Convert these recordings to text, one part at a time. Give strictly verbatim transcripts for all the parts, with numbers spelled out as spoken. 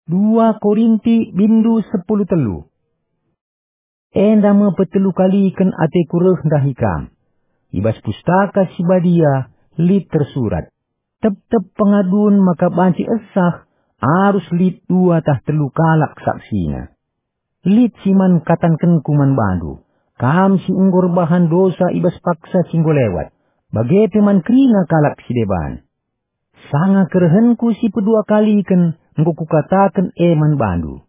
Dua Korinti bindu sepuluh telu. Enda me petelu kaliken ateku reh ndahi kam. I bas Pustaka Si Badia lit tersurat, "Tep-tep pengadun maka banci esah, arus lit dua tah telu kalak saksina." Lit si man katankenku man bandu, kam si enggo erbahan dosa i bas paksa si enggo lewat, bage pe man kerina kalak si deban. Sanga kerehenku si pedua kaliken enggo kukataken e man bandu.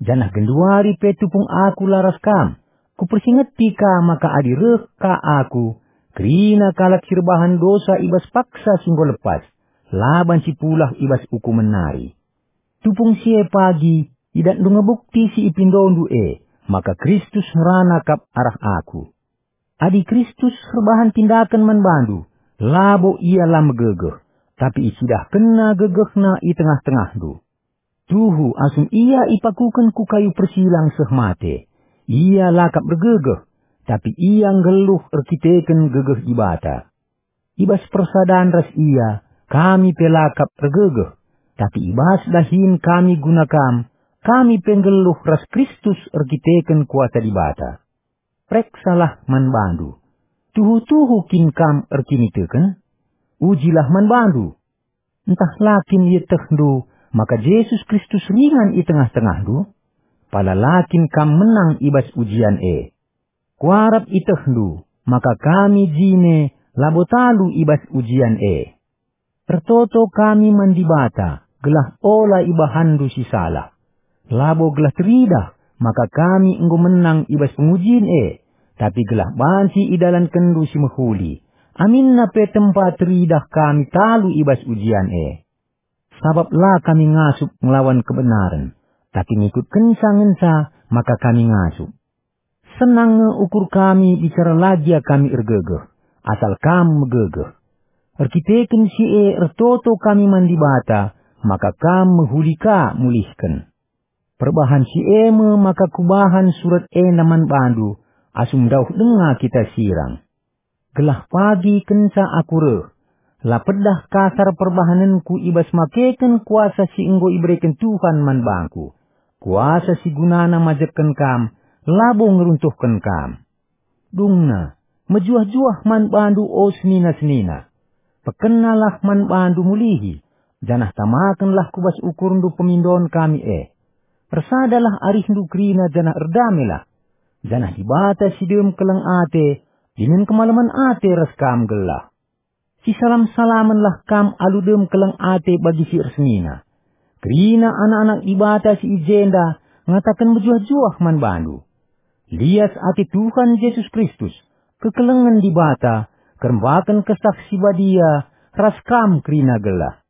Janah genduari pe tupung aku la ras kam, kupersingeti ka maka adi reh ka aku, kerina kalak si erbahan dosa i bas paksa si enggo lepas, la banci pulah i bas ukumen nari. Tupung si e pagi, idatndu nge bukti si ipindondu e, maka Kristus ngerana kap arah aku. Adi Kristus erbahan tindaken man bandu, labo Ia la megegeh, tapi icidahkenNa gegehNa i tengah-tengahndu. Tuhu asum Ia ipakuken ku kayu persilang seh mate, Ia la kap ergegeh, tapi Ia nggeluh erkiteken gegeh Dibata. I bas persadan ras Ia, kami pe la kap ergegeh, tapi i bas dahin kami guna kam, kami pe nggeluh ras Kristus erkiteken kuasa Dibata. Pereksalah man bandu. Tuhu-tuhu kin kam erkiniteken? Ujilah man bandu. Ntah la kin ietehndu maka Jesus Kristus ringan i tengah-tengahndu? Pala la kin kam menang i bas ujian e? Kuarap ietehndu maka kami jine labo talu i bas ujian e. Ertoto kami man Dibata gelah ola ibahanndu si salah. Labo gelah teridah maka kami enggo menang i bas pengujin e, tapi gelah banci idalankenndu si mehuli, aminna pe tempa teridah kami talu i bas ujian e. Sabap la kami ngasup ngelawan kebenaren, tapi ngikutkenca ngenca maka kami ngasup. Senang nge ukur kami bicara la gia kami ergegeh, asal kam megegeh. Erkiteken si e ertoto kami man Dibata, maka kam mehuli ka mulihken. Perbahan si e me maka kubahan surat enda man bandu, asum ndauh denga kita sirang. Gelah pagi kenca aku reh, la pedah kasar perbahanenku i bas makeken kuasa si enggo ibereken Tuhan man bangku, kuasa si gunana majekken kam, labo ngeruntuhken kam. Dungna, mejuah-juah man bandu, o senina-senina. Pekennalah man bandu mulihi, janah tamakenlah ku bas ukurndu pemindon kami e. Ersadalah arihndu kerina janah erdamelah. Janah Dibata si dem keleng ate, dingen kemalemen ate ras kam gelah. Sisalam-salamenlah kam alu dem keleng ate bagi si ersenina. Kerina anak-anak Dibata si i jenda ngataken mejuah-juah man bandu. Lias ate Tuhan Jesus Kristus, kekelengen Dibata, kerembaken Kesah Si Badia, ras kam kerina gelah.